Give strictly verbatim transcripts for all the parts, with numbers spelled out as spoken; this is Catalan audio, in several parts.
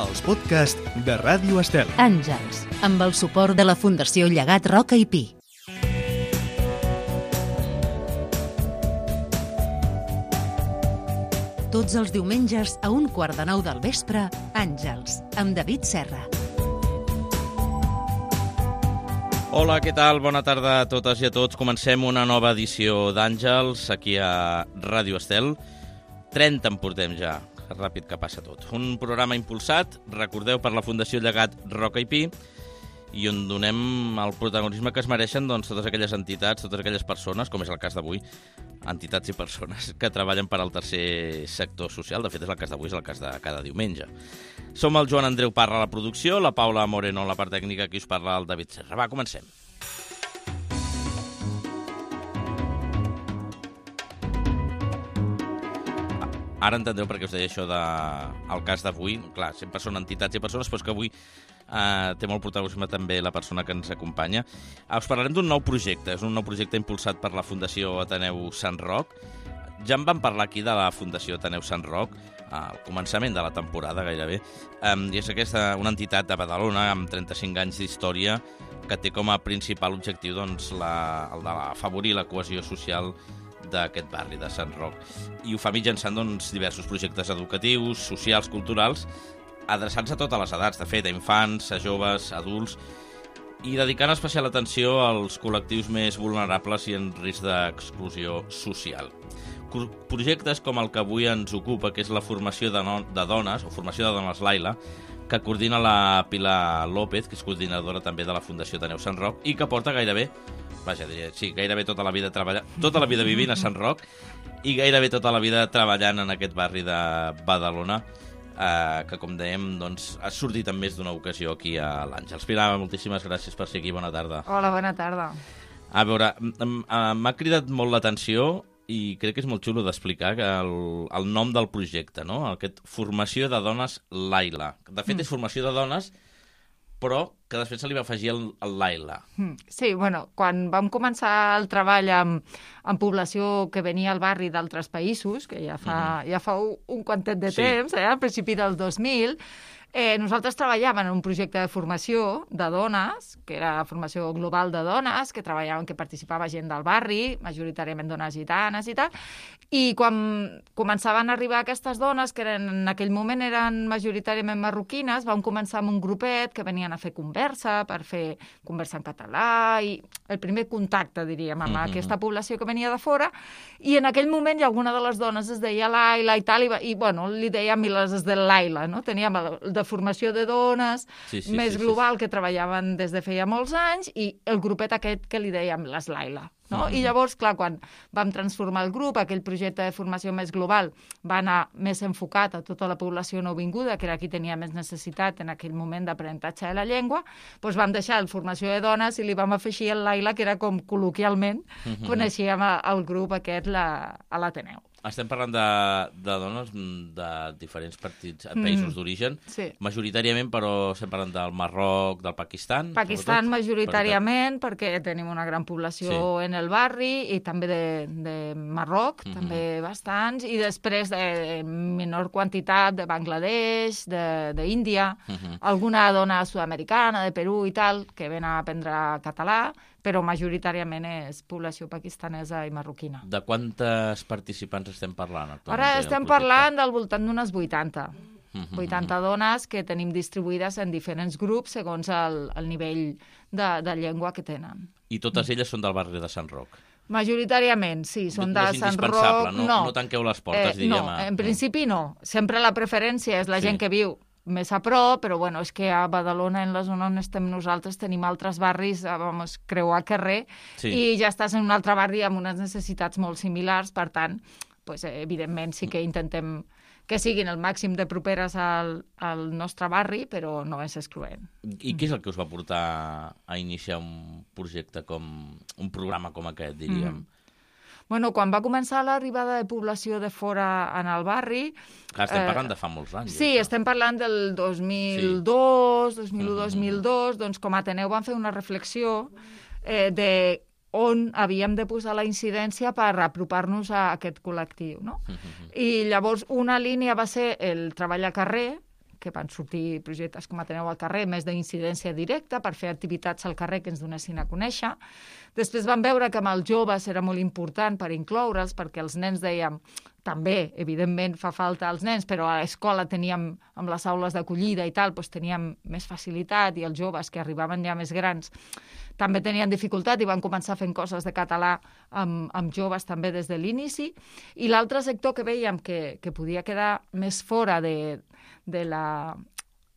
els podcasts de Ràdio Estel. Àngels, amb el suport de la Fundació Llegat Roca i Pi. Tots els diumenges a un quart de nou del vespre, Àngels, amb David Serra. Hola, què tal? Bona tarda a totes i a tots. Comencem una nova edició d'Àngels aquí a Ràdio Estel. trenta en portem ja, ràpid que passa tot. Un programa impulsat, recordeu, per la Fundació Llegat Roca i Pi, i on donem el protagonisme que es mereixen doncs, totes aquelles entitats, totes aquelles persones, com és el cas d'avui, entitats i persones que treballen per al tercer sector social. De fet, és el cas d'avui, és el cas de cada diumenge. Som el Joan Andreu Parra a la producció, la Paula Moreno a la part tècnica, qui us parla el David Serra. Va, comencem. Ara entendreu per què us deia això del cas d'avui. Clar, sempre són entitats i persones, però és que avui eh, té molt protagonisme també la persona que ens acompanya. Eh, us parlarem d'un nou projecte. És un nou projecte impulsat per la Fundació Ateneu Sant Roc. Ja en vam parlar aquí de la Fundació Ateneu Sant Roc al començament de la temporada, gairebé. Eh, I és aquesta, una entitat de Badalona amb trenta-cinc anys d'història que té com a principal objectiu doncs, la, el d'afavorir la cohesió social d'aquest barri de Sant Roc. I ho fa mitjançant doncs, diversos projectes educatius, socials, culturals, adreçats a totes les edats, de fet, a infants, a joves, a adults, i dedicant especial atenció als col·lectius més vulnerables i en risc d'exclusió social. Projectes com el que avui ens ocupa, que és la formació de, no, de dones, o formació de dones Laila, que coordina la Pilar López, que és coordinadora també de la Fundació Ateneu Sant Roc, i que porta gairebé, vaja, diria, sí, gairebé tota la vida treballant, tota la vida vivint a Sant Roc, i gairebé tota la vida treballant en aquest barri de Badalona, eh, que, com dèiem, doncs, ha sortit en més d'una ocasió aquí a l'Àngels. Pilar, moltíssimes gràcies per ser aquí, bona tarda. Hola, bona tarda. A veure, m'ha cridat molt l'atenció i crec que és molt xulo d'explicar el, el nom del projecte, no? Aquest Formació de Dones Laila. De fet, mm. és formació de dones, però que després se li va afegir el, el Laila. Sí, bueno, quan vam començar el treball amb, amb població que venia al barri d'altres països, que ja fa, mm-hmm. ja fa un, un quantet de sí. temps, eh, al principi del dos mil, Eh, nosaltres treballàvem en un projecte de formació de dones, que era formació global de dones, que treballaven, que participava gent del barri, majoritàriament dones gitanes i tal, i quan començaven a arribar aquestes dones, que eren, en aquell moment eren majoritàriament marroquines, vam començar amb un grupet que venien a fer conversa, per fer conversa en català, i el primer contacte, diríem, amb mm-hmm. aquesta població que venia de fora, i en aquell moment hi alguna de les dones es deia Laila i tal, i, i bueno, li dèiem les de Laila, no? Teníem el, de formació de dones, sí, sí, més sí, global, sí. que treballaven des de feia molts anys, i el grupet aquest que li dèiem les Laila. No? Mm-hmm. I llavors, clar, quan vam transformar el grup, aquell projecte de formació més global va anar més enfocat a tota la població nouvinguda, que era qui tenia més necessitat en aquell moment d'aprenentatge de la llengua, doncs vam deixar el formació de dones i li vam afegir el Laila, que era com col·loquialment mm-hmm. coneixíem el grup aquest la, a l'Ateneu. Estem parlant de, de dones de diferents partits, països mm, d'origen, sí. majoritàriament, però estem parlant del Marroc, del Pakistan? Pakistan majoritàriament, perquè tenim una gran població sí. en el barri, i també de, de Marroc, mm-hmm. també bastants, i després de menor quantitat de Bangladesh, d'Índia, mm-hmm. alguna dona sud-americana, de Perú i tal, que ven a aprendre català, però majoritàriament és població pakistanesa i marroquina. De quantes participants estem parlant? Ara estem parlant del voltant d'unes vuitanta. Mm-hmm. vuitanta dones que tenim distribuïdes en diferents grups segons el, el nivell de, de llengua que tenen. I totes elles són del barri de Sant Roc? Majoritàriament, sí, són no, de no Sant Roc. No, no. no tanqueu les portes, eh, diríem. No, en principi no. Sempre la preferència és la sí. gent que viu més a prop, però bueno, és que a Badalona, en la zona on estem nosaltres, tenim altres barris, vamos, creuar carrer, sí. i ja estàs en un altre barri amb unes necessitats molt similars, per tant, pues, evidentment sí que intentem que siguin el màxim de properes al, al nostre barri, però no és excloent. I què és el que us va portar a iniciar un projecte com, un programa com aquest, diríem? Mm. Bueno, quan va començar l'arribada de població de fora en el barri... Clar, estem parlant eh, de fa molts anys. Sí, això. Estem parlant del dos mil dos, sí. dos mil u dos mil dos, uh-huh. doncs com a Ateneu vam fer una reflexió eh, de on havíem de posar la incidència per apropar-nos a aquest col·lectiu, no? Uh-huh. I llavors una línia va ser el treball a carrer, que van sortir projectes com Ateneu al carrer, més d'incidència directa, per fer activitats al carrer que ens donessin a conèixer. Després vam veure que amb els joves era molt important per incloure'ls, perquè els nens dèiem, també, evidentment, fa falta als nens, però a l'escola teníem, amb les aules d'acollida i tal, doncs teníem més facilitat, i els joves que arribaven ja més grans també tenien dificultat i van començar fent coses de català amb, amb joves també des de l'inici. I l'altre sector que veiem que, que podia quedar més fora de, de la...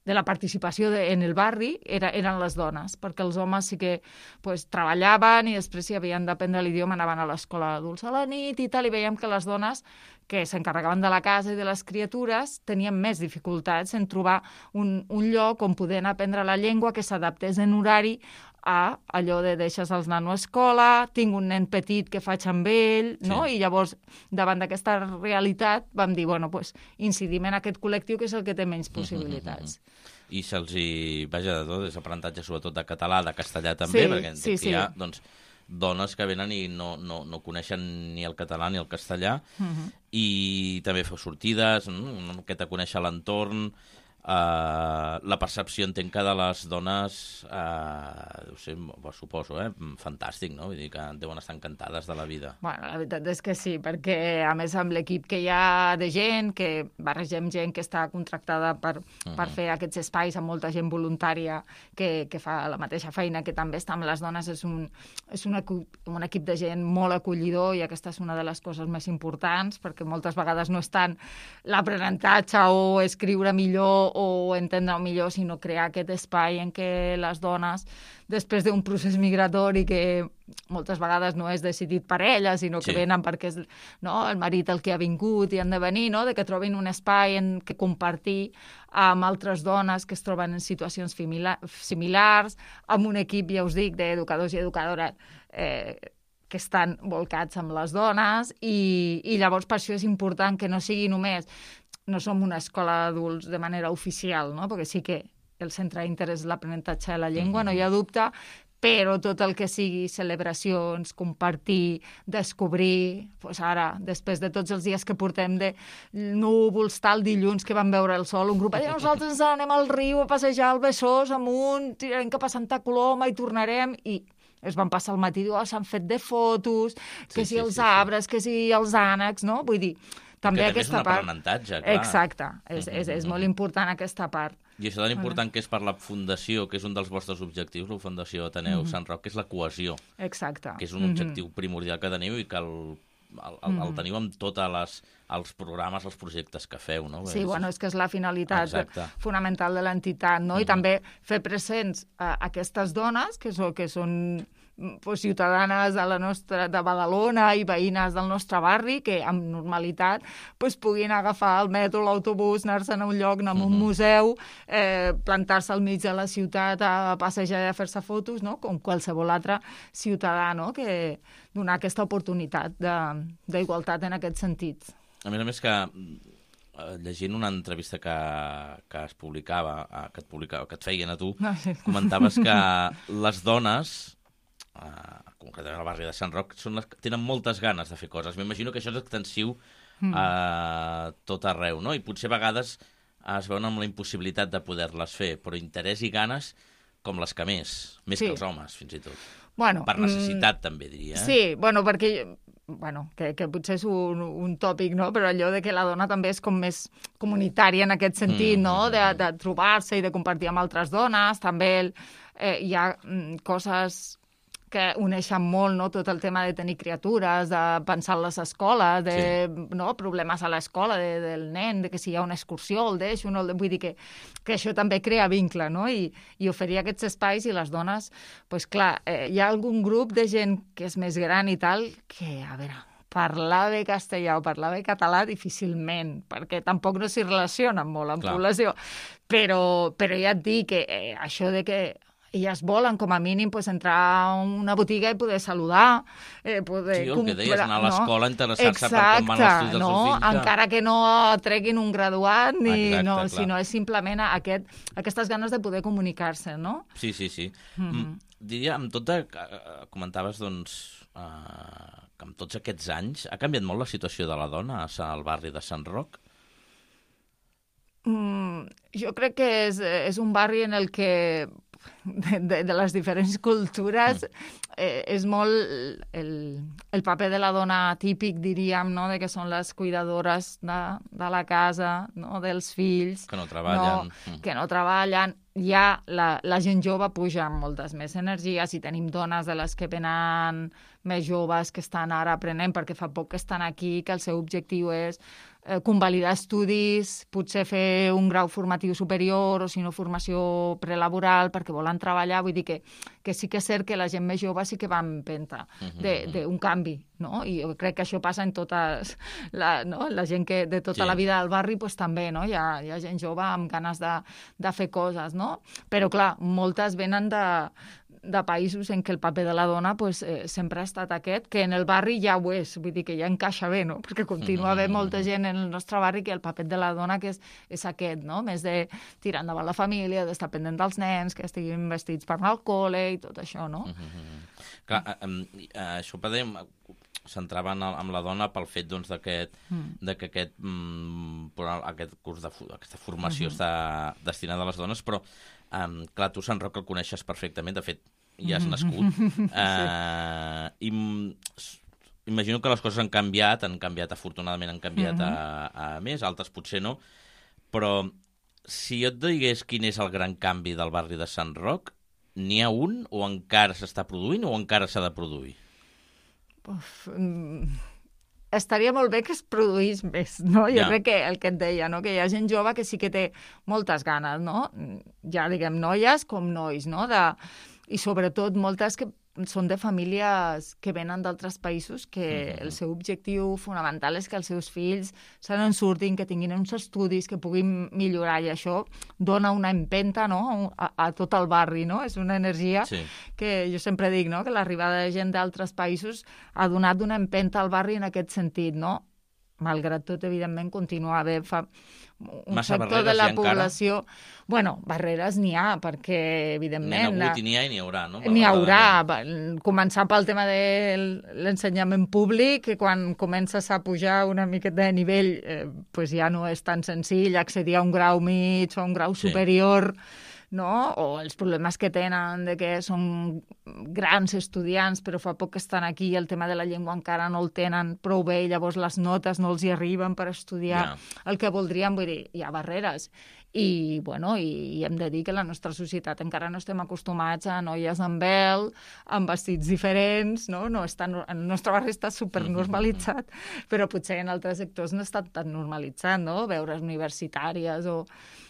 de la participació de, en el barri era, eren les dones, perquè els homes sí que pues, treballaven i després si havien d'aprendre l'idioma anaven a l'escola d'adults a la nit i tal, i veiem que les dones que s'encarregaven de la casa i de les criatures tenien més dificultats en trobar un, un lloc on poder aprendre la llengua que s'adaptés en horari a allò de deixes els nanos a escola, tinc un nen petit que faig amb ell, no? Sí. I llavors, davant d'aquesta realitat, vam dir, bueno, pues, incidim en aquest col·lectiu que és el que té menys possibilitats. Mm -hmm. I se'ls hi, vaja, de tot, és aprenentatge sobretot de català, de castellà també, sí, perquè sí, sí. hi ha, doncs, dones que venen i no, no, no coneixen ni el català ni el castellà, uh -huh. i també feu sortides, no? Una miqueta conèixer l'entorn, Uh, la percepció, entenc que de les dones, uh, no sé, ho suposo, eh? Fantàstic, no? Vull dir que deuen estar encantades de la vida. Bueno, la veritat és que sí, perquè a més amb l'equip que hi ha de gent, que barregem gent que està contractada per, uh-huh. per fer aquests espais, amb molta gent voluntària que, que fa la mateixa feina, que també està amb les dones, és un, és un, un equip de gent molt acollidor, i aquesta és una de les coses més importants, perquè moltes vegades no és tant l'aprenentatge o escriure millor o entendre millor, sinó crear aquest espai en què les dones, després d'un procés migratori que moltes vegades no és decidit per elles, sinó que sí. venen perquè és no, el marit el que ha vingut i han de venir, no? De que trobin un espai en què compartir amb altres dones que es troben en situacions similars, amb un equip, ja us dic, d'educadors i educadores eh, que estan volcats amb les dones, i, i llavors per això és important que no sigui només no som una escola d'adults de manera oficial, no? Perquè sí que el centre d'interès és l'aprenentatge de la llengua, mm-hmm. no hi ha dubte, però tot el que sigui celebracions, compartir, descobrir, doncs ara, després de tots els dies que portem de núvols, tal, dilluns que vam veure el sol, un grup de nosaltres ens anem al riu a passejar al Besòs amunt, tirarem cap a Santa Coloma i tornarem, i es van passar el matí, oh, s'han fet de fotos, que sí, si sí, els sí, arbres, sí. que si els ànecs, no? Vull dir, també que aquesta també és un part... aprenentatge, clar. Exacte, és, és, és molt important aquesta part. I això tan important que és per la Fundació, que és un dels vostres objectius, la Fundació Ateneu mm-hmm. Sant Roc, que és la cohesió. Exacte. Que és un objectiu mm-hmm. primordial que teniu i que el, el, el, mm-hmm. el teniu amb tots els programes, els projectes que feu, no? Sí, és... bueno, és que és la finalitat Exacte. fonamental de l'entitat, no? Mm-hmm. I també fer presents a aquestes dones, que són, que són pues, ciutadanes de, la nostra, de Badalona i veïnes del nostre barri, que amb normalitat pues, puguin agafar el metro, l'autobús, anar-se'n a un lloc, anar a un mm-hmm. museu, eh, plantar-se al mig de la ciutat a passejar i a fer-se fotos, no? Com qualsevol altre ciutadà, no? Que donar aquesta oportunitat d'igualtat en aquest sentit. A més a més que llegint una entrevista que, que es publicava, que et, publicava, que et feien a tu, no, sí. comentaves que les dones, Uh, concretament al barri de Sant Roc, són les que tenen moltes ganes de fer coses. M'imagino que això és extensiu mm. a tot arreu, no? I potser a vegades es veuen amb la impossibilitat de poder-les fer, però interès i ganes com les que més, més sí. que els homes, fins i tot. Bueno, per necessitat, mm, també, diria. Eh? Sí, bueno, perquè... bueno, que, que potser és un, un tòpic, no? Però allò de que la dona també és com més comunitària en aquest sentit, mm, no? De, de trobar-se i de compartir amb altres dones. També eh, hi ha mm, coses que uneixen molt, no? Tot el tema de tenir criatures, de pensar en les escoles, de sí. no? problemes a l'escola de, del nen, de que si hi ha una excursió el deixo, no? Vull dir que, que això també crea vincle, no? I, i oferir aquests espais, i les dones, pues clar, eh, hi ha algun grup de gent que és més gran i tal, que, a veure, parlar bé castellà o parlar bé català difícilment, perquè tampoc no s'hi relacionen molt amb clar. població. Però, però ja et dic que eh, això de que elles volen, com a mínim, pues, entrar a una botiga i poder saludar. Eh, poder sí, el que deies, anar a l'escola, no? interessar-se per com van els estudis dels no? seus fills. Encara que no treguin un graduat, ni, Exacte, no, clar. sinó és simplement aquest, aquestes ganes de poder comunicar-se, no? Sí, sí, sí. Mm-hmm. Diria, amb tot de... comentaves, doncs, uh, que amb tots aquests anys ha canviat molt la situació de la dona al barri de Sant Roc? Mm, Jo crec que és, és un barri en el que de, de, de les diferents cultures eh, és molt el, el paper de la dona típic, diríem, no? De que són les cuidadores de, de la casa, no? Dels fills. Que no treballen. No, que no treballen. Ja la, la gent jove puja amb moltes més energies i tenim dones de les que venen més joves que estan ara aprenent perquè fa poc que estan aquí, que el seu objectiu és eh, convalidar estudis, potser fer un grau formatiu superior o si no formació prelaboral perquè volen treballar. Vull dir que, que sí que és cert que la gent més jove sí que va en empenta d'un canvi, no? I jo crec que això passa en totes la, no? la gent que de tota sí. la vida del barri pues, també, no? Hi ha, hi ha gent jove amb ganes de, de fer coses, no? Però clar, moltes venen de, de països en què el paper de la dona pues, eh, sempre ha estat aquest, que en el barri ja ho és, vull dir que ja encaixa bé, no? Perquè continua havent molta gent en el nostre barri que el paper de la dona que és, és aquest, no? Més de tirar endavant la família, d'estar pendent dels nens, que estiguin vestits per anar al col·le i tot això, no? Mm-hmm. Clar, eh, eh, això podem... centraven amb la dona pel fet doncs, d'aquest, mm. de que aquest, mm, aquest curs de aquesta formació mm-hmm. està destinada a les dones, però um, clar, tu Sant Roc el coneixes perfectament, de fet ja has nascut mm-hmm. uh, sí. i imagino que les coses han canviat, han canviat afortunadament, han canviat mm-hmm. a, a més, altres potser no, però si jo et digués quin és el gran canvi del barri de Sant Roc, n'hi ha un o encara s'està produint o encara s'ha de produir? Uf, estaria molt bé que es produís més, no? Jo ja. crec que el que et deia, no? Que hi ha gent jove que sí que té moltes ganes, no? Ja diguem noies com nois, no? De... I sobretot moltes que són de famílies que venen d'altres països que mm-hmm. el seu objectiu fonamental és que els seus fills se n'en surtin, que tinguin uns estudis, que puguin millorar, i això dona una empenta, no? a, a tot el barri, no? És una energia sí. que jo sempre dic, no? Que l'arribada de gent d'altres països ha donat una empenta al barri en aquest sentit, no? Malgrat tot, evidentment, continua a haver fa un Massa sector de la població... Encara? Bueno, barreres n'hi ha, perquè, evidentment... N'hi ha hagut i n'hi ha i n'hi haurà, no? N'hi haurà. Començar pel tema de l'ensenyament públic, que quan comences a pujar una miqueta de nivell, eh, pues ja no és tan senzill accedir a un grau mig o a un grau sí. superior... no? O els problemes que tenen de que són grans estudiants però fa poc que estan aquí i el tema de la llengua encara no el tenen prou bé i llavors les notes no els hi arriben per estudiar yeah. el que voldrien, vull dir, hi ha barreres. I, bueno, i, i hem de dir que la nostra societat encara no estem acostumats a noies amb vel, amb vestits diferents, no? No està, el nostre barri està supernormalitzat, però potser en altres sectors no està tan normalitzat, no? Veure universitàries o...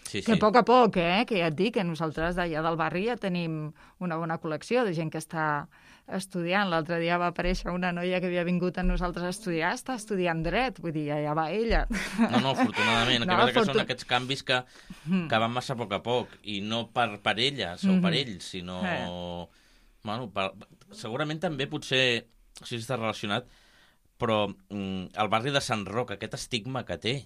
Sí, sí. Que a poc a poc, eh? Que ja et dic que nosaltres d'allà del barri ja tenim una bona col·lecció de gent que està estudiant. L'altre dia va aparèixer una noia que havia vingut a nosaltres a estudiar, està estudiant dret, vull dir, ja va ella. No, no, afortunadament. No, que, fortun... que són aquests canvis que, que van massa a poc a poc, i no per, per elles o per ells, sinó... Eh. Bueno, per... segurament també potser, si està relacionat, però mm, el barri de Sant Roc, aquest estigma que té,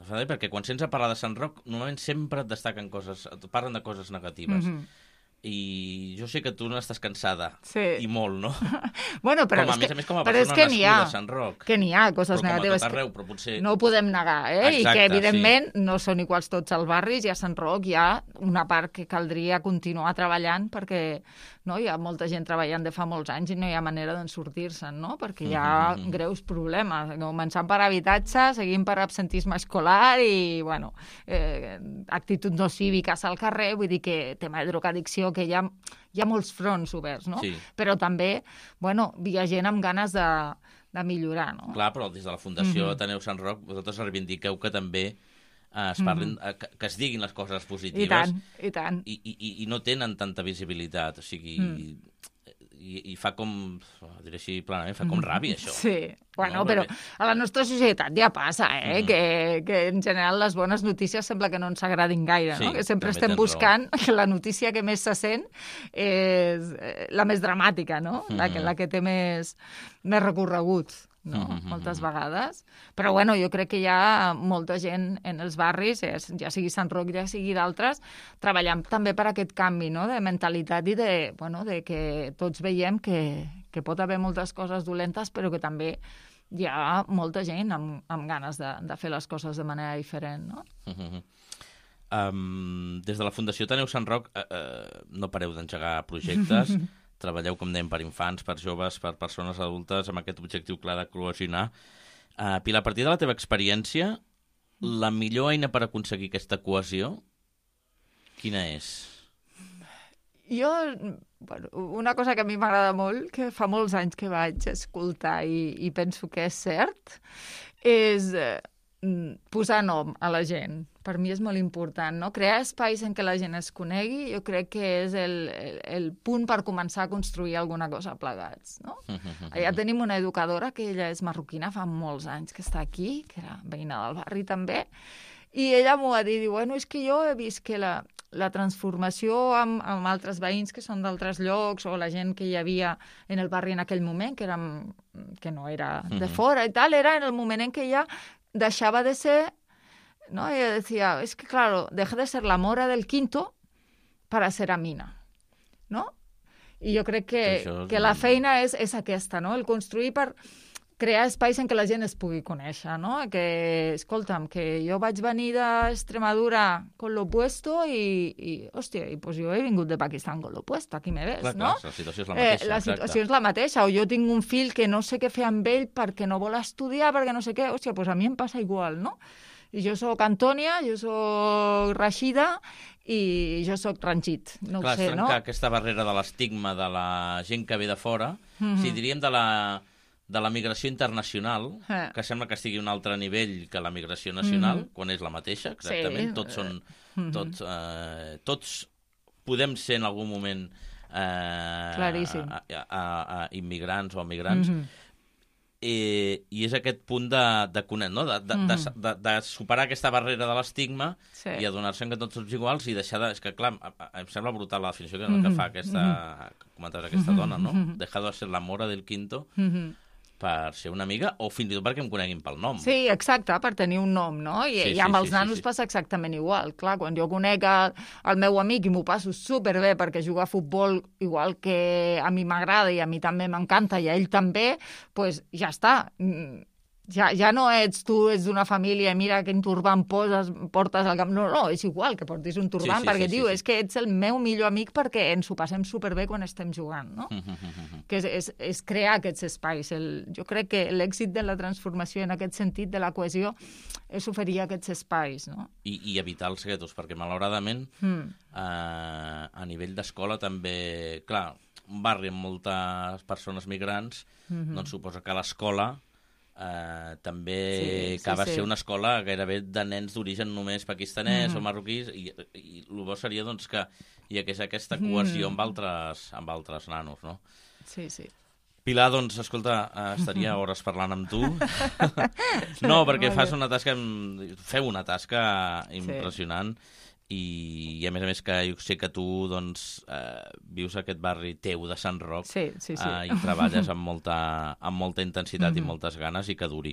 perquè quan sents a parlar de Sant Roc, normalment sempre et destaquen coses, et parlen de coses negatives. Mm-hmm. I jo sé que tu no estàs cansada, sí. i molt, no? Bueno, però com a, és més que, a més, com a però persona és que nascuda a Sant Roc. Que n'hi ha coses però negatives. Com a tot arreu, però potser... No ho podem negar, eh? Exacte, I que, evidentment, sí. no són iguals tots els barris, i a Sant Roc hi ha una part que caldria continuar treballant, perquè no, hi ha molta gent treballant de fa molts anys i no hi ha manera d'en sortir-se'n, no? Perquè hi ha mm-hmm. greus problemes, començant per habitatge, seguint per absentisme escolar i, bueno, eh, actituds no cíviques al carrer, vull dir que tema de drogadicció, que hi ha... Hi ha molts fronts oberts, no? Sí. Però també, bueno, hi ha gent amb ganes de, de millorar, no? Clar, però des de la Fundació mm-hmm. Ateneu Sant Roc, vosaltres reivindiqueu que també eh, es parlin, mm-hmm. que, que es diguin les coses positives. I tant, i tant. I, i, i no tenen tanta visibilitat, o sigui... Mm. I, i fa com, diré així planament, fa com ràbia, això. Sí, bueno, no, però perquè... a la nostra societat ja passa, eh? Mm. Que, que en general les bones notícies sembla que no ens agradin gaire, sí, no? Que sempre estem buscant raó. Que la notícia que més se sent és la més dramàtica, no? Mm. La, que, la que té més, més recorregut. No? Mm-hmm. Moltes vegades. Però, bueno, jo crec que hi ha molta gent en els barris, ja sigui Sant Roc, ja sigui d'altres, treballant també per aquest canvi, no? De mentalitat i de, bueno, de que tots veiem que, que pot haver moltes coses dolentes, però que també hi ha molta gent amb, amb ganes de, de fer les coses de manera diferent, no? Mm-hmm. Um, des de la Fundació Taneu Sant Roc uh, uh, no pareu d'engegar projectes, treballeu, com dèiem, per infants, per joves, per persones adultes, amb aquest objectiu clar de cohesionar. Uh, Pilar, a partir de la teva experiència, la millor eina per aconseguir aquesta cohesió, quina és? Jo, bueno, una cosa que a mi m'agrada molt, que fa molts anys que vaig escoltar i, i penso que és cert, és eh, posar nom a la gent. Per mi és molt important, no? Crear espais en què la gent es conegui, jo crec que és el, el, el punt per començar a construir alguna cosa plegats, no? Allà tenim una educadora que ella és marroquina, fa molts anys que està aquí, que era veïna del barri també, i ella m'ho va dir, diu, bueno, és que jo he vist que la, la transformació amb, amb altres veïns que són d'altres llocs o la gent que hi havia en el barri en aquell moment, que, érem, que no era de fora i tal, era en el moment en què ella deixava de ser, ¿no? Ella decía, es que claro, deja de ser la mora del quinto para ser amina, ¿no? I jo crec que, és... que la feina és, és aquesta, no? El construir per crear espais en què la gent es pugui conèixer, no? Que, escolta'm, que jo vaig venir d'Extremadura con lo opuesto i, i hòstia, i pues jo he vingut de Pakistan con lo opuesto, aquí me ves, clar, no? Clar, la situació és la mateixa. Eh, la situació és la mateixa, o jo tinc un fill que no sé què fer amb ell perquè no vol estudiar, perquè no sé què, hòstia, pues a mi em passa igual, no? I jo sóc Antònia, jo sóc Rashida i jo sóc Ranjit, no clar, ho sé, no? Clar, és trencar aquesta barrera de l'estigma de la gent que ve de fora, mm-hmm. si diríem de la... de la migració internacional, eh. que sembla que estigui a un altre nivell que la migració nacional, mm-hmm. quan és la mateixa, exactament. Sí. Tots són... Mm-hmm. Tots, eh, tots podem ser en algun moment eh, a, a, a, a immigrants o emigrants. Mm-hmm. Eh, I és aquest punt de, de, no? de, de, mm-hmm. de, de, de superar aquesta barrera de l'estigma sí. i adonar-se que tots som iguals i deixar de... És que, clar, em sembla brutal la definició que, mm-hmm. que fa aquesta... Mm-hmm. comentaves aquesta mm-hmm. dona, no? Mm-hmm. Dejar de ser la mora del quinto... Mm-hmm. per ser una amiga o fins i tot perquè em coneguin pel nom. Sí, exacte, per tenir un nom, no? I, sí, i amb sí, els sí, nanos sí, sí. passa exactament igual. Clar, quan jo conec el, el meu amic i m'ho passo superbé perquè juga a futbol igual que a mi m'agrada i a mi també m'encanta i a ell també, doncs pues ja està. Ja, ja no ets tu, ets d'una família, mira quin turbant poses, portes al camp. No, no, és igual que portis un turbant, sí, sí, perquè, sí, tio, sí, sí. és que ets el meu millor amic perquè ens ho passem superbé quan estem jugant, no? que és, és, és crear aquests espais. El, jo crec que l'èxit de la transformació en aquest sentit de la cohesió és oferir aquests espais, no? I, i evitar els guetos, perquè malauradament mm. eh, a nivell d'escola també, clar, un barri amb moltes persones migrants, mm-hmm. doncs suposa que l'escola Uh, també sí, acaba sí, sí. ser una escola gairebé de nens d'origen només pakistanès mm-hmm. o marroquís i, i el bo seria doncs, que hi hagués aquesta cohesió mm. amb, altres, amb altres nanos, no? Sí, sí. Pilar, doncs, escolta, estaria hores parlant amb tu. No, perquè fas una tasca, feu una tasca impressionant sí. i, i a més a més que jo sé que tu doncs, eh, vius aquest barri teu de Sant Roc sí, sí, sí. Eh, i treballes amb molta, amb molta intensitat mm-hmm. i moltes ganes i que duri.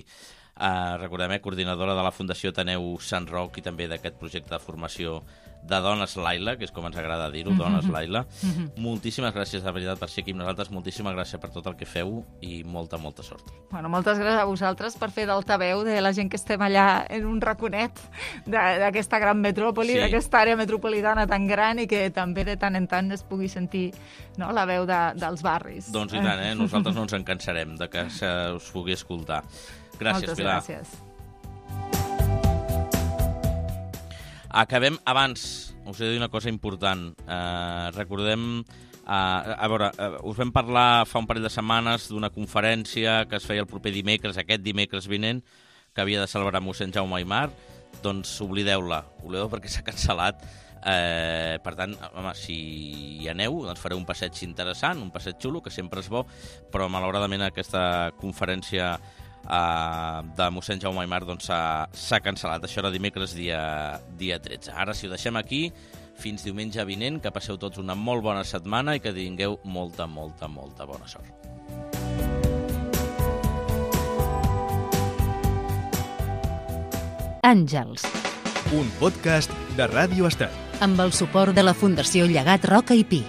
Eh, recordem, eh, coordinadora de la Fundació Taneu Sant Roc i també d'aquest projecte de formació de Dones Laila, que és com ens agrada dir-ho, mm-hmm. Dones Laila. Mm-hmm. Moltíssimes gràcies, de veritat, per ser aquí amb nosaltres. Moltíssimes gràcies per tot el que feu i molta, molta sort. Bueno, moltes gràcies a vosaltres per fer d'altaveu de la gent que estem allà en un raconet d'aquesta gran metròpoli, sí. d'aquesta àrea metropolitana tan gran i que també de tant en tant es pugui sentir, no, la veu de, dels barris. Doncs i tant, eh? Nosaltres no ens en cansarem de que se us pugui escoltar. Gràcies, moltes Pilar. Gràcies. Acabem abans. Us he de dir una cosa important. Uh, recordem... Uh, a veure, uh, us vam parlar fa un parell de setmanes d'una conferència que es feia el proper dimecres, aquest dimecres vinent, que havia de celebrar mossèn Jaume Aymar. Doncs oblideu-la. Oblideu perquè s'ha cancel·lat. Uh, per tant, home, si hi aneu, doncs fareu un passeig interessant, un passeig xulo, que sempre és bo, però malauradament aquesta conferència Uh, de mossèn Jaume Aymar doncs, s'ha cancel·lat. Això era dimecres dia, dia tretze. Ara, si ho deixem aquí, fins diumenge vinent, que passeu tots una molt bona setmana i que tingueu molta, molta, molta bona sort. Àngels. Un podcast de Ràdio Estel. Amb el suport de la Fundació Llegat Roca i Pi.